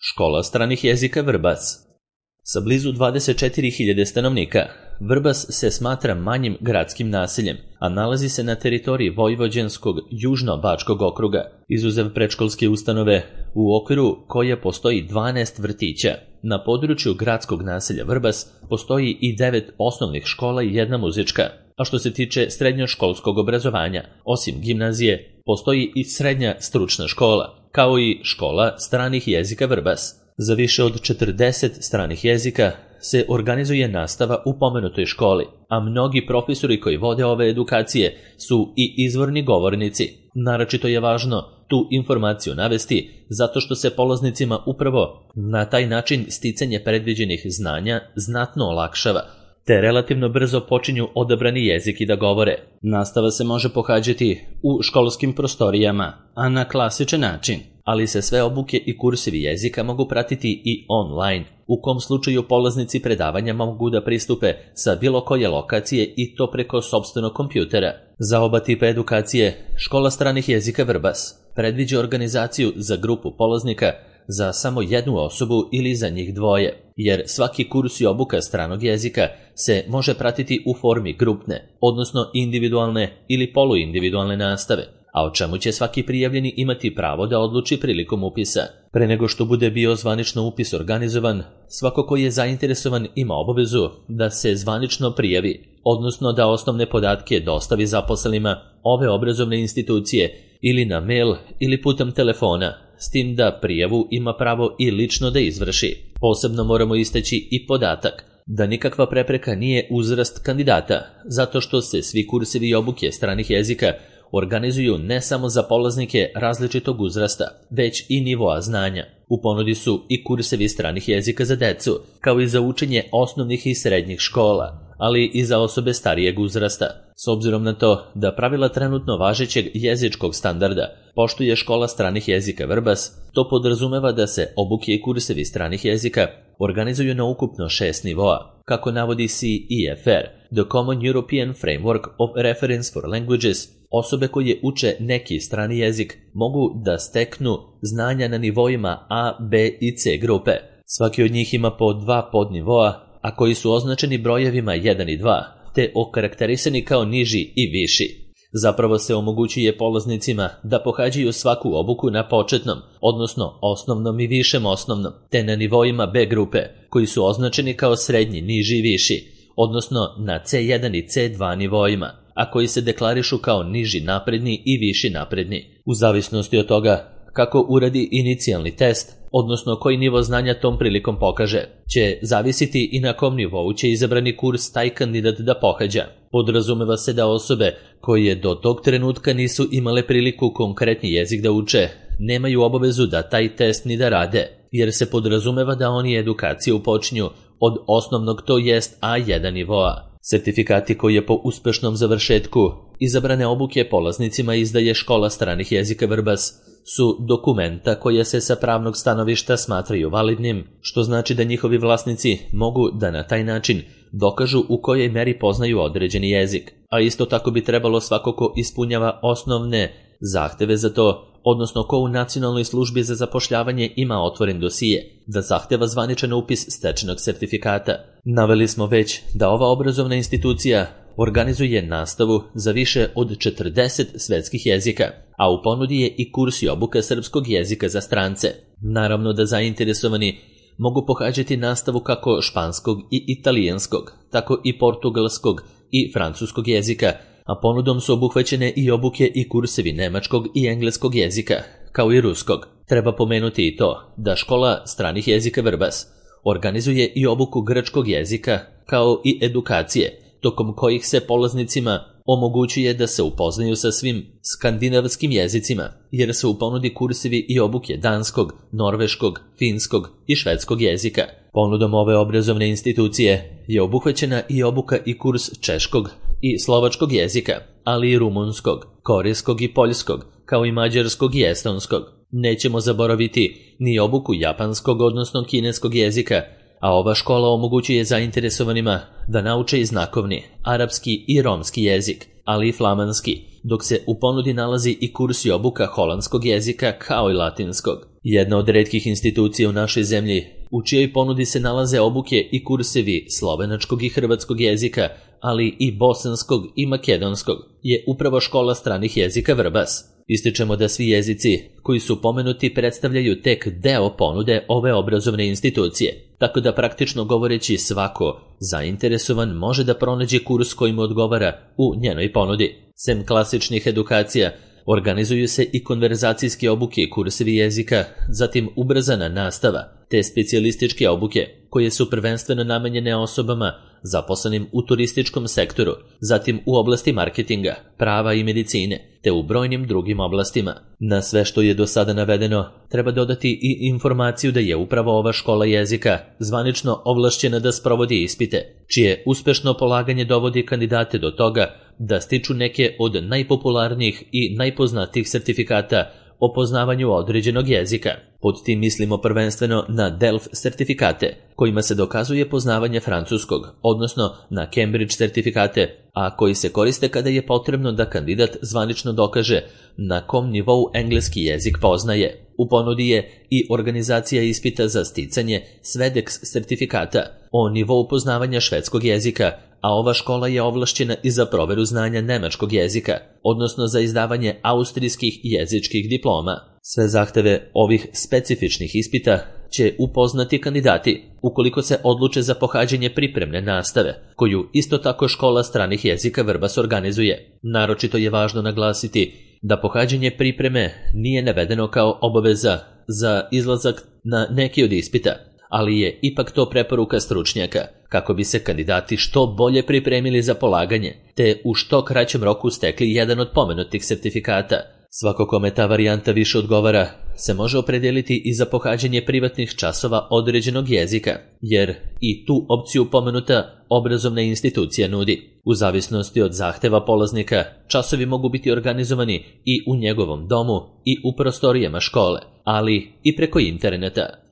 Škola stranih jezika Vrbas. Sa blizu 24.000 stanovnika, Vrbas se smatra manjim gradskim naseljem, a nalazi se na teritoriji Vojvođanskog južno-bačkog okruga, izuzev predškolske ustanove, u okviru koje postoji 12 vrtića. Na području gradskog naselja Vrbas postoji i 9 osnovnih škola i 1 muzička. A što se tiče srednjoškolskog obrazovanja, osim gimnazije, postoji i srednja stručna škola, kao i škola stranih jezika Vrbas. Za više od 40 stranih jezika se organizuje nastava u pomenutoj školi, a mnogi profesori koji vode ove edukacije su i izvorni govornici. Naročito je važno tu informaciju navesti zato što se polaznicima upravo na taj način sticanje predviđenih znanja znatno olakšava, te relativno brzo počinju odabrani jeziki da govore. Nastava se može pohađati u školskim prostorijama, a na klasičan način, ali se sve obuke i kursevi jezika mogu pratiti i online, u kom slučaju polaznici predavanja mogu da pristupe sa bilo koje lokacije i to preko sopstvenog kompjutera. Za oba tipa edukacije, Škola stranih jezika Vrbas predviđa organizaciju za grupu polaznika za samo jednu osobu ili za njih dvoje, jer svaki kurs i obuka stranog jezika se može pratiti u formi grupne, odnosno individualne ili poluindividualne nastave, a o čemu će svaki prijavljeni imati pravo da odluči prilikom upisa. Pre nego što bude bio zvanično upis organizovan, svako ko je zainteresovan ima obavezu da se zvanično prijavi, odnosno da osnovne podatke dostavi zaposlenima ove obrazovne institucije ili na mail ili putem telefona, s tim da prijavu ima pravo i lično da izvrši. Posebno moramo istaći i podatak da nikakva prepreka nije uzrast kandidata, zato što se svi kursevi i obuke stranih jezika organizuju ne samo za polaznike različitog uzrasta, već i nivoa znanja. U ponudi su i kursevi stranih jezika za decu, kao i za učenje osnovnih i srednjih škola, ali i za osobe starijeg uzrasta. S obzirom na to da pravila trenutno važećeg jezičkog standarda poštuje Škola stranih jezika Vrbas, to podrazumeva da se obuke i kursevi stranih jezika organizuju na ukupno 6 nivoa. Kako navodi CEFR, The Common European Framework of Reference for Languages, osobe koje uče neki strani jezik mogu da steknu znanja na nivoima A, B i C grupe. Svaki od njih ima po 2 podnivoa, a koji su označeni brojevima 1 i 2, te okarakterisani kao niži i viši. Zapravo se omogućuje polaznicima da pohađaju svaku obuku na početnom, odnosno osnovnom i višem osnovnom, te na nivoima B grupe, koji su označeni kao srednji, niži i viši, odnosno na C1 i C2 nivoima, a koji se deklarišu kao niži napredni i viši napredni. U zavisnosti od toga kako uradi inicijalni test, odnosno koji nivo znanja tom prilikom pokaže, će zavisiti i na kom nivou će izabrani kurs taj kandidat da pohađa. Podrazumeva se da osobe koje do tog trenutka nisu imale priliku konkretni jezik da uče, nemaju obavezu da taj test ni da rade, jer se podrazumeva da oni edukaciju počinju od osnovnog, to jest A1 nivoa. Sertifikati koje po uspešnom završetku izabrane obuke polaznicima izdaje Škola stranih jezika Vrbas su dokumenta koja se sa pravnog stanovišta smatraju validnim, što znači da njihovi vlasnici mogu da na taj način dokažu u kojoj meri poznaju određeni jezik, a isto tako bi trebalo svako ko ispunjava osnovne zahteve za to, odnosno ko u Nacionalnoj službi za zapošljavanje ima otvoren dosije, da zahteva zvaničan upis stečenog sertifikata. Naveli smo već da ova obrazovna institucija organizuje nastavu za više od 40 svetskih jezika, a u ponudi je i kurs i obuka srpskog jezika za strance. Naravno da zainteresovani mogu pohađati nastavu kako španskog i italijanskog, tako i portugalskog i francuskog jezika, a ponudom su obuhvaćene i obuke i kursevi nemačkog i engleskog jezika, kao i ruskog. Treba pomenuti i to da Škola stranih jezika Vrbas organizuje i obuku grčkog jezika, kao i edukacije, tokom kojih se polaznicima omogućuje da se upoznaju sa svim skandinavskim jezicima, jer se u ponudi kursevi i obuke danskog, norveškog, finskog i švedskog jezika. Ponudom ove obrazovne institucije je obuhvaćena i obuka i kurs češkog i slovačkog jezika, ali i rumunskog, korejskog i poljskog, kao i mađarskog i estonskog. Nećemo zaboraviti ni obuku japanskog, odnosno kineskog jezika, a ova škola omogućuje zainteresovanima da nauče i znakovni, arapski i romski jezik, ali i flamanski, dok se u ponudi nalazi i kurs i obuka holandskog jezika kao i latinskog. Jedna od retkih institucija u našoj zemlji u čijoj ponudi se nalaze obuke i kursevi slovenačkog i hrvatskog jezika, ali i bosanskog i makedonskog, je upravo škola stranih jezika Vrbas. Ističemo da svi jezici koji su pomenuti predstavljaju tek deo ponude ove obrazovne institucije, tako da praktično govoreći svako zainteresovan može da pronađe kurs koji mu odgovara u njenoj ponudi. Sem klasičnih edukacija, organizuju se i konverzacijske obuke i kursevi jezika, zatim ubrzana nastava, te specijalističke obuke, koje su prvenstveno namenjene osobama zaposlenim u turističkom sektoru, zatim u oblasti marketinga, prava i medicine, te u brojnim drugim oblastima. Na sve što je do sada navedeno, treba dodati i informaciju da je upravo ova škola jezika zvanično ovlašćena da sprovodi ispite, čije uspešno polaganje dovodi kandidate do toga da stiču neke od najpopularnijih i najpoznatijih sertifikata o poznavanju određenog jezika. Pod tim mislimo prvenstveno na DELF sertifikate, kojima se dokazuje poznavanje francuskog, odnosno na Cambridge sertifikate, a koji se koriste kada je potrebno da kandidat zvanično dokaže na kom nivou engleski jezik poznaje. U ponudi je i organizacija ispita za sticanje SVEDEX sertifikata o nivou poznavanja švedskog jezika, a ova škola je ovlašćena i za proveru znanja nemačkog jezika, odnosno za izdavanje austrijskih jezičkih diploma. Sve zahteve ovih specifičnih ispita će upoznati kandidati ukoliko se odluče za pohađanje pripremne nastave, koju isto tako škola stranih jezika Vrbas organizuje. Naročito je važno naglasiti da pohađanje pripreme nije navedeno kao obaveza za izlazak na neki od ispita, ali je ipak to preporuka stručnjaka, kako bi se kandidati što bolje pripremili za polaganje, te u što kraćem roku stekli jedan od pomenutih sertifikata. Svako kome ta varijanta više odgovara se može opredeliti i za pohađanje privatnih časova određenog jezika, jer i tu opciju pomenuta obrazovna institucija nudi. U zavisnosti od zahteva polaznika, časovi mogu biti organizovani i u njegovom domu i u prostorijama škole, ali i preko interneta.